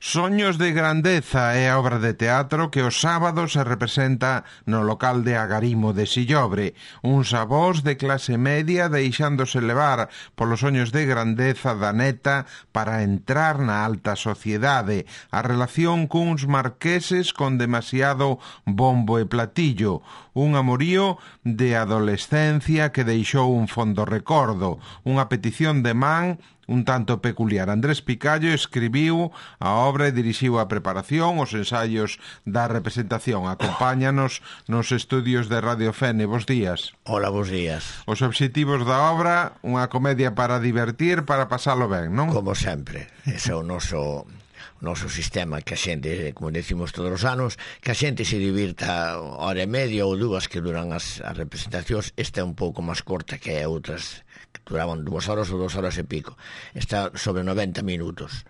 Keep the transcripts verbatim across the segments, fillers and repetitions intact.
Soños de Grandeza é a obra de teatro que os sábados se representa no local de Agarimo de Sillobre. Uns avós de clase media deixándose levar polos soños de grandeza da neta para entrar na alta sociedade. A relación cuns marqueses con demasiado bombo e platillo. Un amorío de adolescencia que deixou un fondo recordo. Unha petición de man un tanto peculiar. Andrés Picallo escribiu a obra e dirixiu a preparación, os ensaios da representación. Acompáñanos nos estudios de Radio Fene. Bos días. Hola, bos días. Os obxectivos da obra, unha comedia para divertir, para pasalo ben, non? Como sempre, ese é o noso... o noso sistema, que a xente, como decimos todos os anos, que a xente se divirta hora e media ou dúas que duran as, as representacións. Esta é un pouco máis corta que outras que duraban dúas horas ou dúas horas e pico. Está sobre noventa minutos,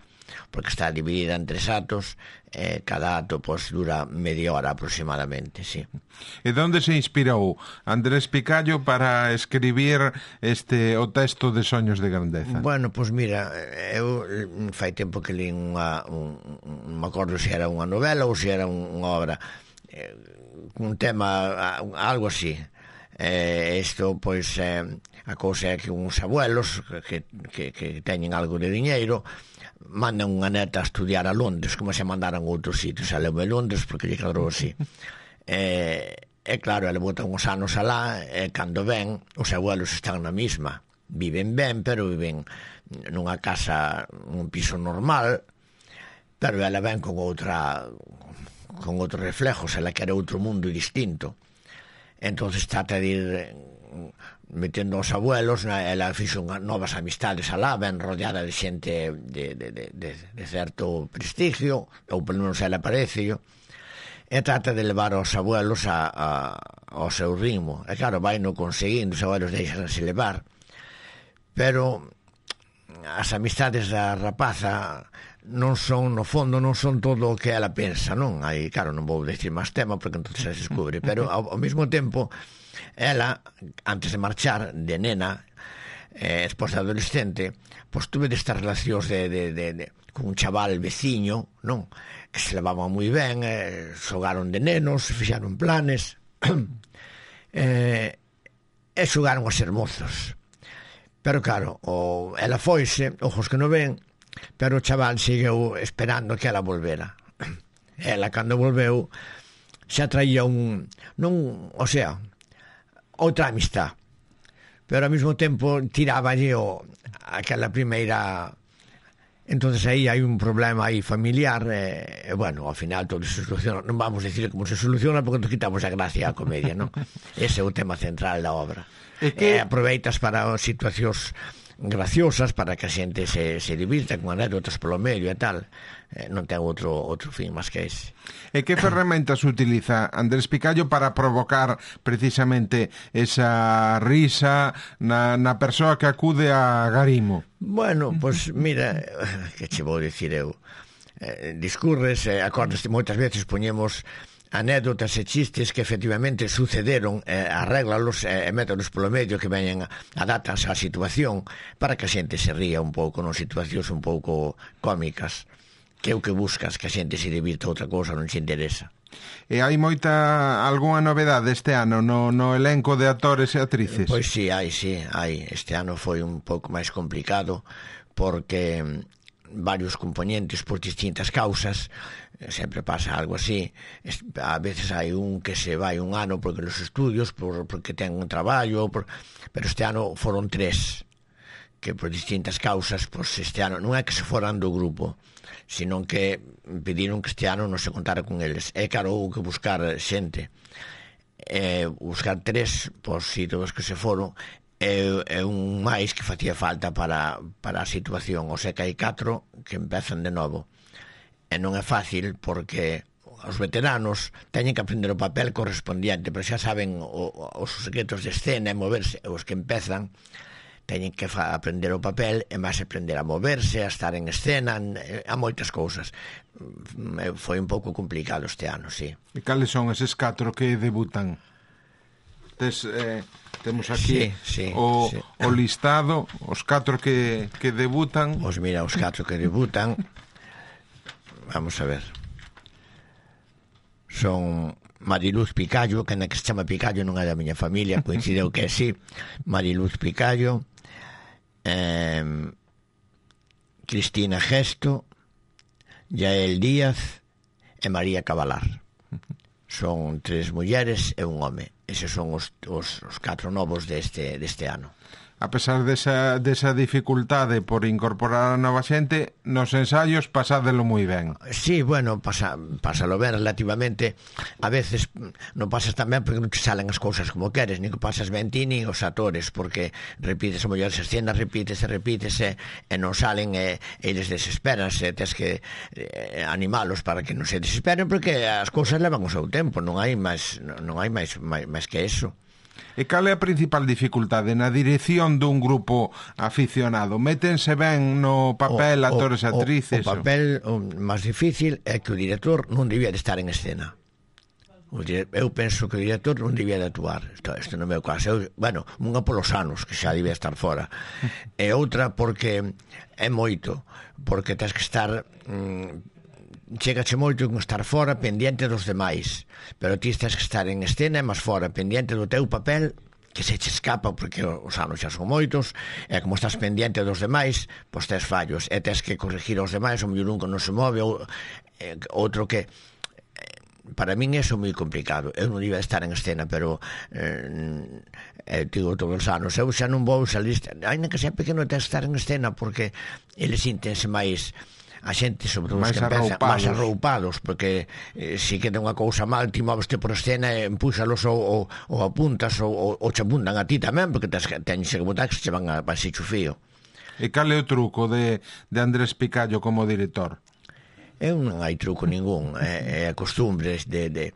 porque está dividida en tres atos, eh, cada ato pois, dura media hora aproximadamente, sí. E onde se inspirou Andrés Picallo para escribir este o texto de Soños de Grandeza? Bueno, pois mira, eu fai tempo que li unha, un, non me acordo se era unha novela ou se era un, unha obra, eh, un tema, algo así. Eh, isto, pois, eh, a cousa é que uns abuelos que, que, que teñen algo de diñeiro mandan unha neta a estudiar a Londres, como se mandaran a outros sitios. A leu a Londres porque lle cadrou así. E, e claro, ela bota uns anos alá, e cando ven, os abuelos están na mesma. Viven ben, pero viven nunha casa, nun piso normal, pero ela ven con outra, con outros reflejos, ela quere outro mundo distinto. Entonces trata de ir metendo aos abuelos, ela fixo novas amistades alá, ben rodeada de xente de, de, de, de, de certo prestigio, ou pelo menos ela parece, e trata de levar aos abuelos a, a, ao seu ritmo. E claro, vai no conseguindo, os abuelos deixanse levar, pero as amistades da rapaza non son, no fondo, non son todo o que ela pensa, non? Aí, claro, non vou decir máis tema porque entón se descubre, pero ao, ao mesmo tempo ela, antes de marchar de nena, eh, esposa adolescente, pois tuve destas relacións de, de, de, de, con un chaval veciño, non? Que se levaban moi ben, eh, xogaron de nenos, fixaron planes, eh, e xogaron a ser mozos. Pero claro, o, ela foise, ojos que non ven, pero o chaval segueu esperando que ela volvera. Ela, cando volveu, xa traía un... non, o sea, outra amistad, pero ao mesmo tempo tiraballe o, aquela primeira... Entonces aí hai un problema aí familiar, e, e bueno, ao final todo se soluciona. Non vamos decir como se soluciona porque nos quitamos a gracia á comedia, non? Ese é o tema central da obra. E que... E aproveitas para situacións graciosas para que a xente se, se divirta con anécdotas polo medio e tal. Eh, non ten outro, outro fin máis que ese. E que ferramentas utiliza Andrés Picallo para provocar precisamente esa risa na, na persoa que acude a Agarimo? Bueno, pois pues, mira, que che vou dicir eu, eh, discurres, eh, acordes, moitas veces poñemos anécdotas e chistes que efectivamente sucederon, eh, arréglalos e eh, métodos polo medio que veñen, adaptanse á situación para que a xente se ría un pouco, non situacións un pouco cómicas, que é o que buscas, que a xente se divirta, outra cousa non se interesa. E hai moita, algunha novedade este ano no, no elenco de actores e actrices? Pois sí, hai, sí, hai. Este ano foi un pouco máis complicado porque varios componentes por distintas causas, sempre pasa algo así. A veces hai un que se vai un ano porque los estudios, por, porque ten un traballo, por, pero este ano foron tres que por distintas causas, pois este ano non é que se foran do grupo, sino que pediron que este ano non se contara con eles. E claro, houve que buscar xente, e buscar tres, pois si todos que se foron, é, é un máis que facía falta para, para a situación. O sea que hai catro que empezan de novo, e non é fácil porque os veteranos teñen que aprender o papel correspondiente, pero xa saben o, os secretos de escena e moverse. Os que empezan teñen que fa, aprender o papel e máis aprender a moverse, a estar en escena, a moitas cousas. Foi un pouco complicado este ano, sí. E cales son eses catro que debutan? Tes, eh, temos aquí sí, sí, o, sí. o listado, os catro que, que debutan. Pois mira, os catro que debutan, vamos a ver. Son Mariluz Picallo, que na que se chama Picallo non é da miña familia, coincideu que é así. Mariluz Picallo, eh, Cristina Gesto, Yael Díaz e María Cabalar. Son tres mulleres e un home. Eses son os, os, os catro novos deste, deste ano. A pesar desa, desa dificultade por incorporar a nova xente, nos ensaios pasádelo moi ben. Sí, bueno, pasa, pásalo ben relativamente. A veces non pasas tan ben porque non te salen as cousas como queres, nin que pasas ben ti nin os actores, porque repites a mellor as escenas, repites e repites e, e non salen e, e eles desesperan, e tens que eh, animalos para que non se desesperen, porque as cousas levan o seu tempo, non hai máis, non hai máis, máis, máis que eso. E cal é a principal dificultade na dirección dun grupo aficionado? Métense ben no papel o, actores e actrices? O, o papel o máis difícil é que o director non debía de estar en escena. O dire... Eu penso que o director non debía de actuar. Isto, isto no meu caso. Eu, bueno, unha polos anos, que xa debía estar fora. E outra porque é moito. Porque tens que estar... Mmm, chegache moito con estar fora pendiente dos demais, pero ti tens que estar en escena e máis fora pendiente do teu papel, que se che escapa porque os anos xa son moitos, e como estás pendiente dos demais, pois tes fallos e tens que corregir aos demais, o mellor un que non se move ou, eh, outro que eh, para min eso é moi complicado. Eu non iba a estar en escena, pero eh, eh, digo todos os anos, eu xa non vou salir, ainda que sea pequeno, tens que estar en escena porque eles sintense máis a xente, sobre todo os que empezan máis arroupados, porque eh, se queda unha cousa mal, ti moveste por escena e empúxalos ou, ou, ou apuntas ou, ou, ou che apuntan a ti tamén, porque tens que teñse que botar que se van a pasar chufío. E cal é o truco de, de Andrés Picallo como director? Eu non hai truco ningún, é, é a costumbre de, de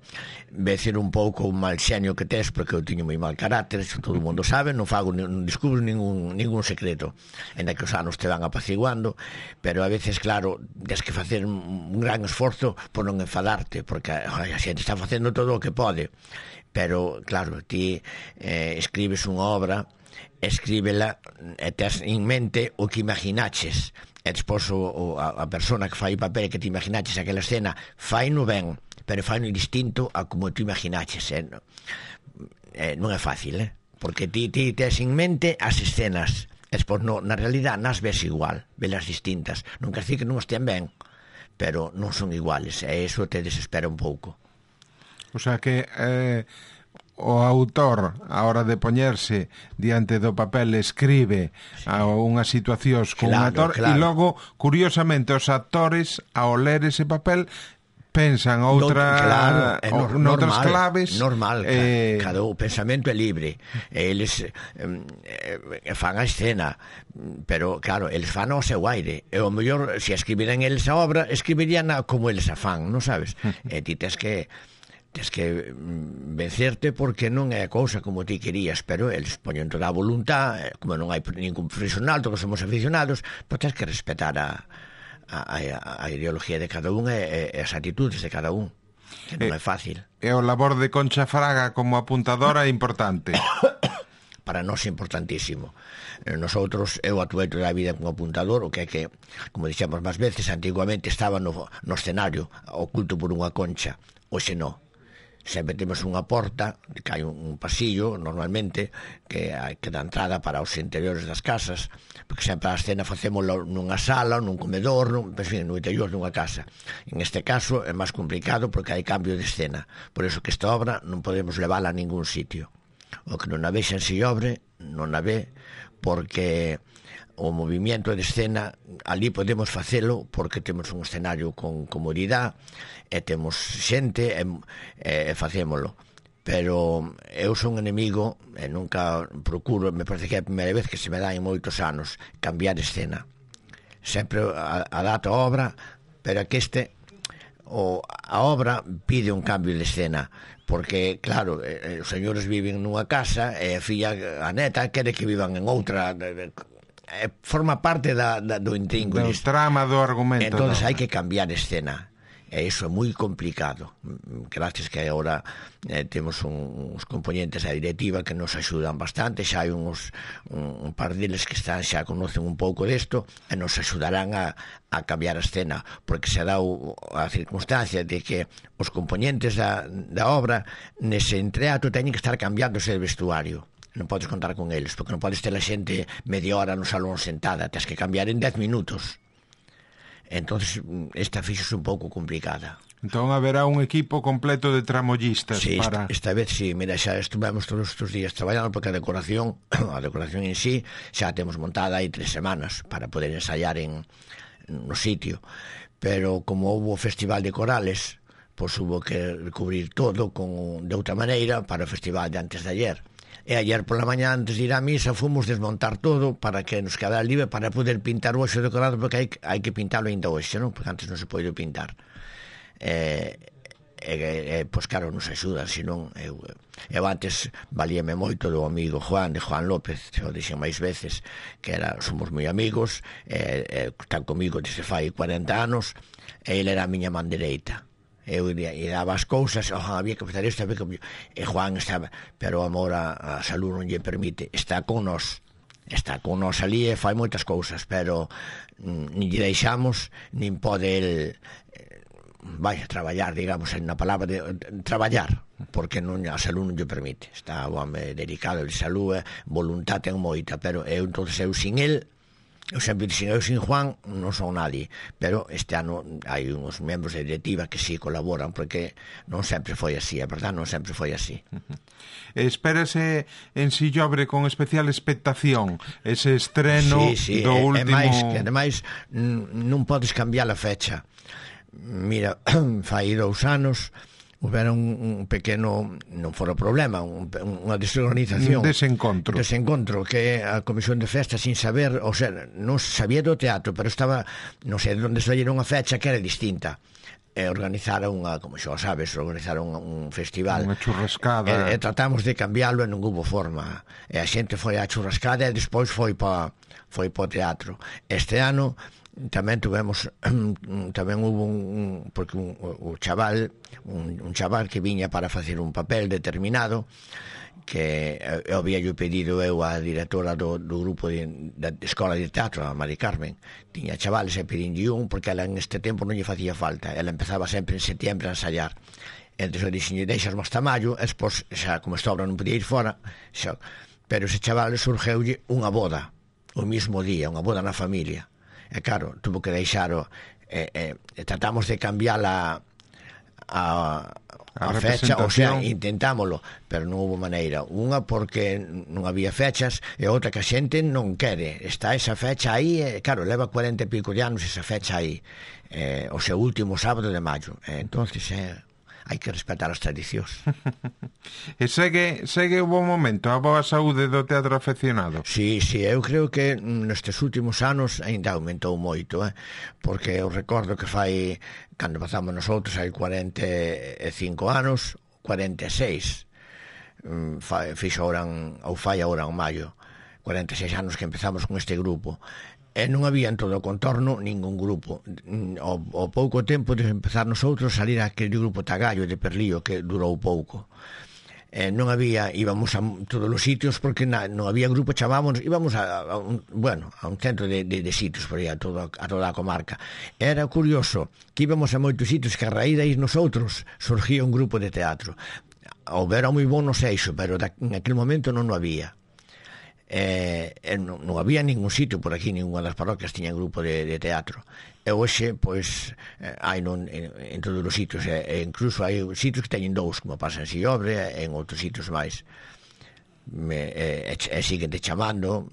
vecer un pouco o mal xenio que tes, porque eu tiño moi mal carácter, todo o mundo sabe, non fago, non descubro ningún, ningún secreto, en que os anos te van apaciguando, pero a veces, claro, tens que facer un gran esforzo por non enfadarte, porque a xente está facendo todo o que pode, pero, claro, ti eh, escribes unha obra, escríbela e tes en mente o que imaginaches, e despois o, o, a, a persona que fai o papel que te imaginaches aquela escena fai no ben, pero fai no distinto a como te imaginaches, eh? Eh, non é fácil, eh? Porque ti, ti tes en mente as escenas e despois no, na realidad nas ves igual, velas distintas, non quer decir que non estén ben, pero non son iguales, e iso te desespera un pouco. O sea que eh, o autor, a hora de poñerse diante do papel, escribe sí. a unhas situacións con claro, un actor claro. E logo, curiosamente, os actores, ao ler ese papel, pensan outra, claro, é no, noutras normal, claves. Normal, eh... cada o pensamento é libre. Eles eh, fan a escena, pero claro, eles fan ao seu aire. E o mellor, se escribiran eles a obra, escribirían como eles a fan, non sabes? E ti tes que tens que vencerte porque non é a cousa como ti querías, pero eles poñen toda a voluntad, como non hai ningún profesional, todos somos aficionados, pois tens que respetar a, a, a, a ideología de cada un e, e as actitudes de cada un, que non é fácil. E o labor de Concha Fraga como apuntadora é importante. Para nós é importantísimo. Nosotros, eu atuei toda a vida como apuntador, o que é que, como dixemos máis veces, antiguamente estaba no, no escenario oculto por unha concha, hoxe non. Sempre temos unha porta, que hai un pasillo, normalmente, que, que dá entrada para os interiores das casas, porque sempre a escena facémoslo nunha sala, nun comedor, nun, en fin, no interior dunha casa. En este caso é máis complicado porque hai cambio de escena, por eso que esta obra non podemos levala a ningún sitio. O que non a vexan se obre, non a ve, porque o movimento de escena ali podemos facelo porque temos un escenario con comodidade e temos xente e, e facémolo, pero eu son enemigo e nunca procuro, me parece que é a primeira vez que se me dá en moitos anos cambiar escena, sempre adapto a obra, pero que este o, a obra pide un cambio de escena, porque claro, eh, os señores viven nunha casa e a filla, a neta, quere que vivan en outra, forma parte da, da, do intríngulis, do trama do argumento. Entonces hai que cambiar escena e iso é moi complicado. Gracias que agora eh, temos un, uns componentes da directiva que nos axudan bastante, xa hai uns, un, un par deles que están xa conocen un pouco desto e nos axudarán a, a cambiar a escena, porque se dá o, a circunstancia de que os componentes da, da obra nese entreato teñen que estar cambiándose de vestuario. Non podes contar con eles, porque non podes ter a xente media hora no salón sentada, tens que cambiar en dez minutos. Entonces esta fixo un pouco complicada. Entón haberá un equipo completo de tramollistas sí, para... esta, esta vez sí, mira, xa estuvemos todos estes días traballando, porque a decoración a decoración en sí xa temos montada hai tres semanas para poder ensaiar en no sitio, pero como houve o festival de corales, pois hubo que cubrir todo con, de outra maneira para o festival de antes de ayer. E ayer pola mañá, antes de ir á misa, fomos desmontar todo para que nos quedara libre para poder pintar o hoxe decorado, porque hai, hai que pintalo ainda hoxe, non? Porque antes non se pode pintar. E, e, e pois claro, nos axuda, senón eu, eu antes valíame moito do amigo Juan, de Juan López, o dixen máis veces, que era, somos moi amigos, e, e están comigo desde fai cuarenta anos, e ele era a miña man dereita. Eu e daba as cousas, oh, había que fazer isto, había que... e Juan estaba, pero o amor a, a salud non lle permite, está con nós, está con nós ali e fai moitas cousas, pero mm, nin lle deixamos, nin pode el eh, vai a traballar, digamos, na palabra de, de traballar, porque non, a salud non lle permite, está o home dedicado de salud, voluntad ten moita, pero eu, entonces eu sin el, eu sempre dixen, eu sin Juan non son nadie, pero este ano hai uns membros de directiva que sí colaboran, porque non sempre foi así, é verdad, non sempre foi así. Uh-huh. Espérase en Sillobre con especial expectación ese estreno sí, sí, do e, último... E máis, que ademais non podes cambiar a fecha. Mira, fai dous anos houbera un, un pequeno, non fora problema, un, unha desorganización, un desencontro. desencontro, que a Comisión de Festas, sin saber, o sea, non sabía do teatro, pero estaba, non sei onde saíron unha fecha que era distinta. E organizaron unha, como xa sabes, organizaron un festival, unha churrascada, e, e tratamos de cambiarlo e non hubo forma, e a xente foi á churrascada e despois foi pa, foi pa o teatro. Este ano tamén tuvemos tamén hubo un, porque un, o chaval un, un chaval que viña para facer un papel determinado, que eu había yo pedido eu a directora do, do grupo de, da escola de teatro, a Mari Carmen, tiña chavales e pedinlle un, porque ela en este tempo non lle facía falta, ela empezaba sempre en setiembre a ensayar. Entón eu dixenlle, deixasme hasta maio, e despois, xa, como esta obra non podía ir fora, xa, pero ese chaval surgeulle unha boda o mismo día, unha boda na familia. E claro, tuvo que deixar o, e, e, e tratamos de cambiar a a, a, a fecha, o sea, intentámoslo, pero non houve maneira. Unha porque non había fechas, e outra que a xente non quere. Está esa fecha aí, e claro, leva cuarenta e pico de anos esa fecha aí, eh, o seu último sábado de maio. E, entonces, eh, hai que respetar as tradicións. E segue, segue o bon momento, a boa saúde do teatro afeccionado? Sí, sí, eu creo que nestes últimos anos ainda aumentou moito, eh? Porque eu recordo que fai, cando pasamos nosotros, hai cuarenta e cinco anos, cuarenta e seis, fixo ahora, ou fai ahora en maio, cuarenta e seis anos que empezamos con este grupo. E non había en todo o contorno ningún grupo. O, o pouco tempo de empezar nosotros salir aquele grupo Tagallo de Perlío, que durou pouco. E non había, íbamos a todos os sitios, porque na, non había grupo, chamábamos, íbamos a, a un, bueno, a un centro de, de, de sitios por aí, a, todo, a toda a comarca. Era curioso que íbamos a moitos sitios que a raíz de nosotros surgía un grupo de teatro. Houbera moi bon no seixo, pero en aquel momento non o había. Eh, non, non había ningún sitio por aquí, ninguna das parroquias tiña grupo de, de teatro, e hoxe pois eh, hai non, en, en todos os sitios, e, e incluso hai sitios que teñen dous, como pasa en Sillobre e en outros sitios máis. Me, e, e siguen te chamando.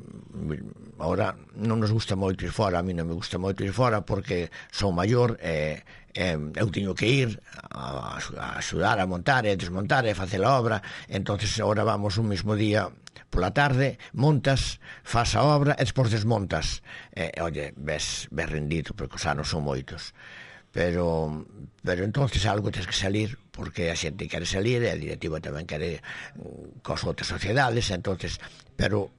Ahora non nos gusta moito ir fora, a mí non me gusta moito ir fora porque son maior e eh, eu teño que ir a, a axudar a montar e desmontar e facer a obra. Entonces agora vamos un mesmo día pola tarde, montas, faz a obra e despois desmontas. E, oye, ves, ves rendido, porque os anos son moitos. Pero, pero entonces algo tens que salir, porque a xente quere salir e a directiva tamén quere cos outras sociedades, entonces, pero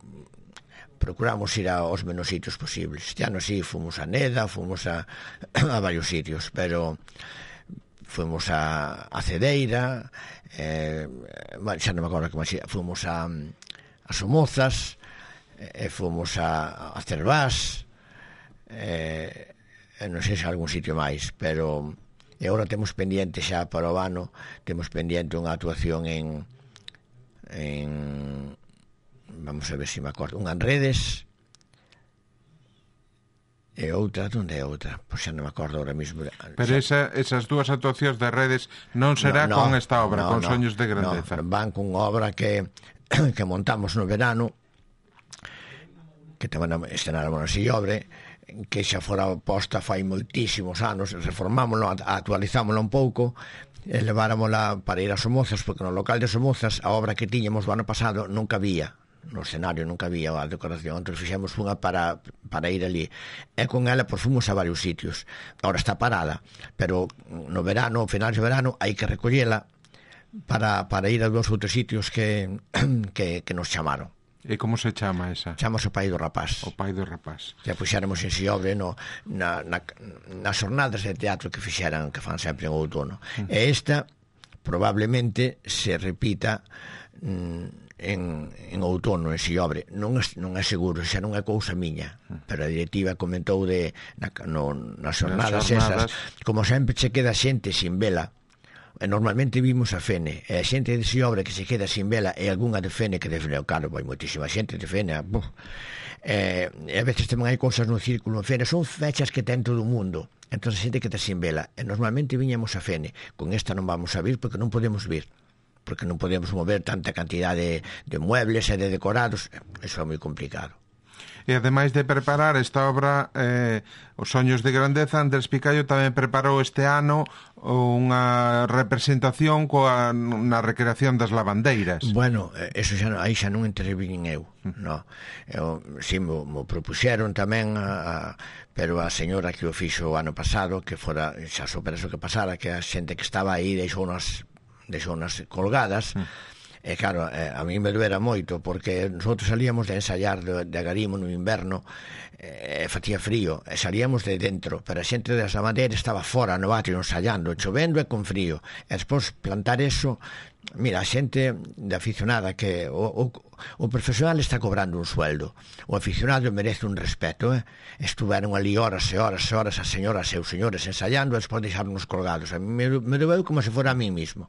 procuramos ir aos menos sitios posibles. Este ano sí, fomos a Neda, fomos a, a varios sitios, pero fomos a, a Cedeira, eh, bueno, xa non me acordo que máis, fomos a, a Somozas, e eh, fomos a, a Cervás, eh, non sei se algún sitio máis, pero e agora temos pendiente xa para o ano, temos pendiente unha actuación en en vamos a ver se me acordo, unha en Redes e outra, onde é outra? Pois xa non me acordo ahora mismo. Pero esa, esas dúas actuacións de Redes non será no, no, con esta obra, no, con no, Soños de Grandeza. No, van con obra que que montamos no verano, que tamén estrenáramos na Sillobre, que xa fora posta fai moitísimos anos, reformámoslo, actualizámoslo un pouco, e leváramosla para ir a Somozas, porque no local de Somozas a obra que tiñamos o ano pasado nunca había, no escenario nunca había a decoración, entón fixemos unha para, para ir ali, e con ela pues, fomos a varios sitios. Ahora está parada, pero no verano, final de verano, hai que recollela para, para ir a dos outros sitios que, que, que nos chamaron. E como se chama esa? Chamamos o Pai do Rapaz. O Pai do Rapaz. Que puxéramos en Sillobre no, na, na, nas jornadas de teatro que fixeran, que fan sempre en outono. Mm. E esta probablemente se repita mm, en, en outono, en Sillobre. Non é, non é seguro, xa non é cousa miña, pero a directiva comentou de na, no, nas jornadas, jornadas esas, como sempre se queda xente sin vela, e normalmente vimos a Fene, e a xente de Sillobre que se queda sin vela e algunha de Fene que de Fene, claro, vai moitísima xente de Fene, buf. E, e a veces tamén hai cousas no círculo en Fene, son fechas que ten todo o mundo, entón a xente que está sin vela, e normalmente viñamos a Fene, con esta non vamos a vir porque non podemos vir, porque non podemos mover tanta cantidade de, de muebles e de decorados, eso é moi complicado. E ademais de preparar esta obra eh, Os Soños de Grandeza, Andrés Picayo tamén preparou este ano unha representación coa, na recreación das lavandeiras. Bueno, eso xa, aí xa non intervín eu, no. Eu, si, mo, mo propuxeron tamén a, a, pero a señora que o fixo o ano pasado, que fora, xa supera eso que pasara, que a xente que estaba aí deixou nas, deixou nas colgadas. Mm. E claro, eh, a mí me doera moito, porque nosotros salíamos de ensayar de, de Agarimo no inverno, e eh, facía frío, e salíamos de dentro, pero a xente das lavandeiras estaba fora no atrio ensayando, chovendo e con frío, e despois plantar eso, mira, a xente de aficionada que o, o, o profesional está cobrando un sueldo, o aficionado merece un respeto, eh? Estuveron ali horas e horas e horas as señoras e os señores ensayando e despois deixarnos colgados, a mí me, me doeu como se fora a mí mismo.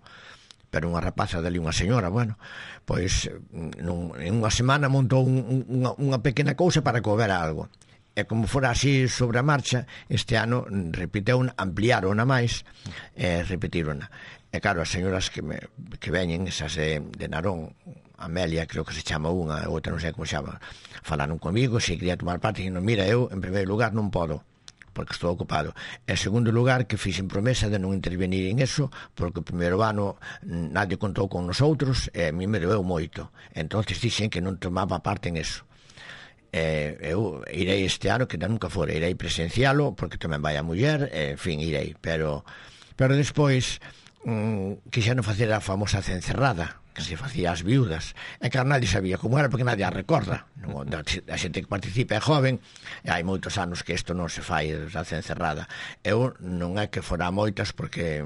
Pero unha rapaza dali, unha señora, bueno, pois nun, en unha semana montou un, unha, unha pequena cousa para que houbera algo. E como fora así sobre a marcha, este ano repiteu, ampliaron a máis, e repetiron. E claro, as señoras que, me, que veñen, esas de, de Narón, Amelia, creo que se chama unha, outra non sei como se chama, falaron comigo, se quería tomar parte, e non, mira, eu, en primeiro lugar, non podo, porque estou ocupado. En segundo lugar, que fixen promesa de non intervenir en eso, porque o primeiro ano nadie contou con nosotros, e a mí me doeu moito. Entonces dixen que non tomaba parte en eso. E, eu irei este ano, que nunca fora, irei presencialo, porque tamén vai a muller, e, en fin, irei. Pero, pero despois, mm, quixeron facer a famosa cencerrada, que se facía as viudas, e que nadie sabía como era porque nadie a recorda. A xente que participa é joven, e hai moitos anos que isto non se fai da cencerrada. Eu non é que fora moitas, porque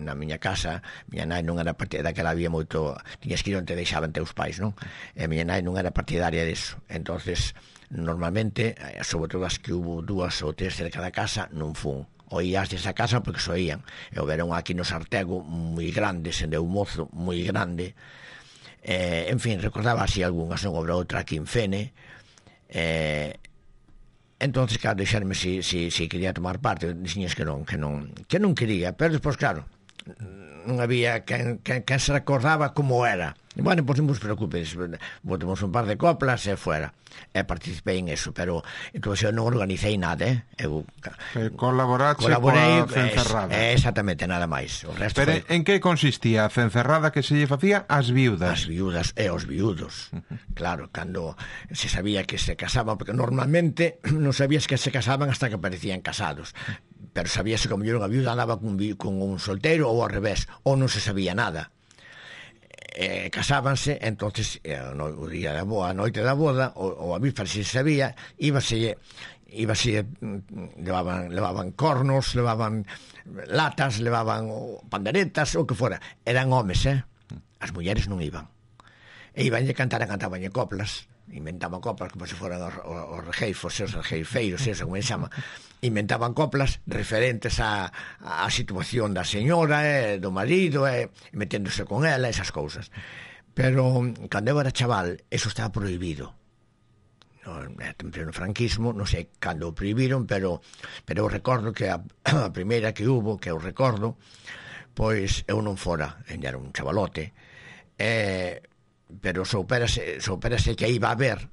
na miña casa miña nai non era partidaria, daquela había moito, tiñas que ir onde deixaban teus pais, non? E miña nai non era partidaria disso. Entonces, normalmente, sobre todo as que hubo dúas ou tres cerca da casa, non fun. Oías desa casa porque soían, e houberon aquí no Sartego moi grande, se deu un mozo moi grande, eh, en fin, recordaba así algunhas, non houve outra aquí en Fene, eh, entonces claro, deixarme si, si, si quería tomar parte, dixías que non, que non, que non quería, pero despois claro, non había quen, quen, quen se recordaba como era. Bueno, pois non vos preocupes, botemos un par de coplas e fuera. E participei en eso, pero entón eu non organizei nada, eh? Eu eh, colaborache coa cencerrada. Eh, exactamente, nada máis. O resto pero foi... en que consistía a cencerrada que se lle facía ás viudas? As viudas e os viudos. Uh-huh. Claro, cando se sabía que se casaban, porque normalmente non sabías que se casaban hasta que parecían casados. Pero sabíase que a mellor unha viuda andaba con, con un solteiro ou ao revés, ou non se sabía nada. Eh, casábanse, entonces eh, no, o día da boa, a noite da boda, ou, ou a víspera se sabía, íbase iba así, levaban, levaban cornos, levaban latas, levaban panderetas, o que fora. Eran homes, eh? As mulleres non iban. E iban a cantar, cantaban coplas, inventaban coplas como se foran os, os regeifos, os regeifeiros, eso, como se chama. Inventaban coplas referentes á, á situación da señora, eh, do marido, eh, meténdose con ela, esas cousas. Pero, cando eu era chaval, eso estaba prohibido. No, en pleno franquismo, non sei cando o prohibiron, pero pero eu recordo que a, a primeira que hubo, que eu recordo, pois eu non fora, era un chavalote, eh, pero soupérase, soupérase que iba a haber,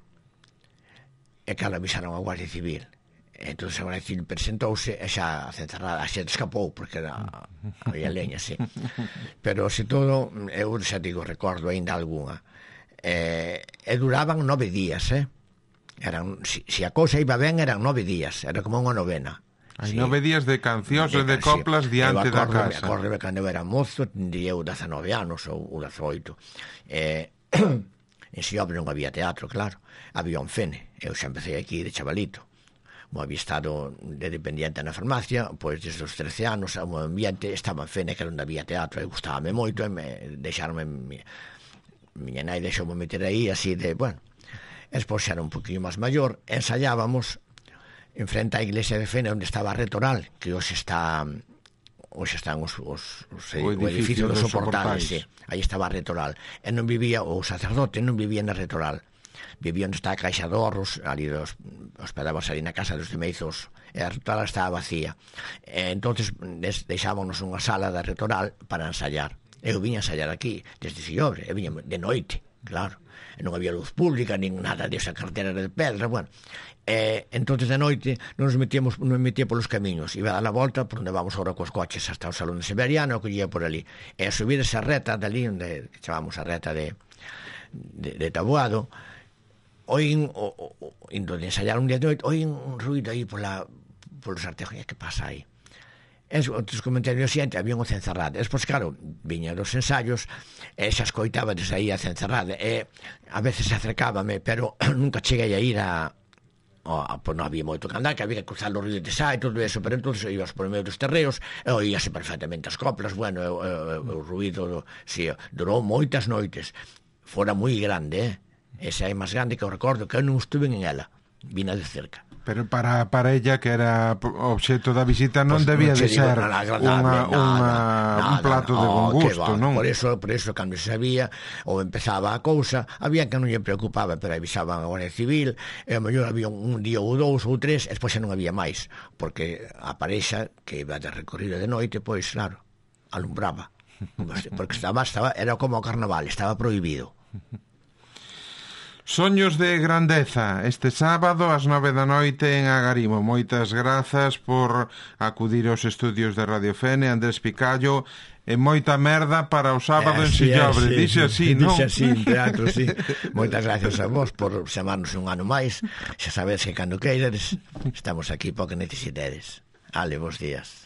e que avisaron a Guardia Civil. Entón a Guardia Civil presentouse e xa a cencerrada, xa escapou, porque era, había leña, sí. Pero, se todo, eu xa digo, recordo ainda algunha. Eh, e duraban nove días, eh? Eran, si, si a cousa iba ben, eran nove días, era como unha novena. Hai sí. nove días de cancións e de coplas sí. diante da casa. Acordo cando eu era mozo, tendría eu dezanove anos ou dezoito. Eh, en Xiobre non había teatro, claro. Había un Fene. Eu xa empecé aquí de chavalito. Mo había estado de dependiente na farmacia, pois desde os trece anos, o meu ambiente estaba en Fene, que era onde había teatro, e gustábame moito, e me deixaronme, miña nai deixoume meter aí, así de, bueno. Espois xa era un poquinho máis maior, ensayábamos en frente á iglesia de Fene, onde estaba a Retoral, que hoxe está, hoxe están os, os, os o, edificio, o edificio dos soportales, sí. Aí estaba a Retoral, e non vivía, o sacerdote non vivía na Retoral, vivía onde está a Caixa de Horros, ali dos, hospedábamos ali na casa dos Demeizos, e a Retoral estaba vacía, e entonces deixábamos unha sala da Retoral para ensayar. Eu viña a ensayar aquí, desde Xillobre, e viña de noite, claro, e non había luz pública, nin nada desa cartera de pedra, bueno, e entonces de noite non nos metíamos, non metía polos camiños, iba a dar a volta por onde vamos ahora cos coches hasta o Salón de Severiano, o que ía por ali, e a subir esa reta dali, onde chamamos a reta de, de, de Taboado, oín, o, o, o, indo de ensayar un día de noite, oín un ruido aí pola, polos artejos, que pasa aí? En outros comentarios xente, había un cencerrada. Despois, claro, viña dos ensayos e xa escoitaba desde aí a cencerrada, e a veces acercábame, pero nunca cheguei a ir a, a, a pois non había moito que andar, que había que cruzar os ríos de Sá e todo eso, pero entonces ibas por medio dos terreos e oíase perfectamente as coplas, bueno, e, e, e, o ruido, si, durou moitas noites, fora moi grande, eh? Esa é máis grande que eu recordo, que eu non estuve en ela, vina de cerca. Pero para, para ella, que era obxecto da visita, non pues debía non de ser unha, unha, un plato de bon gusto, non? Por eso, por eso, cando se sabía, ou empezaba a cousa, había que non lle preocupaba, pero avisaban a Guardia Civil, e a mellor había un día ou dous ou tres, e despois xa non había máis, porque a parexa que iba de recorrido de noite, pois, claro, alumbraba. Porque estaba, estaba, era como o carnaval, estaba prohibido. Soños de grandeza, este sábado ás nove da noite en Agarimo. Moitas grazas por acudir aos estudios de Radio Fene, Andrés Picallo, e moita merda para o sábado eh, en Xillobre. Sí, dixe así, non? Dixe así, en teatro, sí. Moitas gracias a vos por chamarnos un ano máis. Xa sabedes que cando queiredes estamos aquí para que necesitedes. Ale, bons días.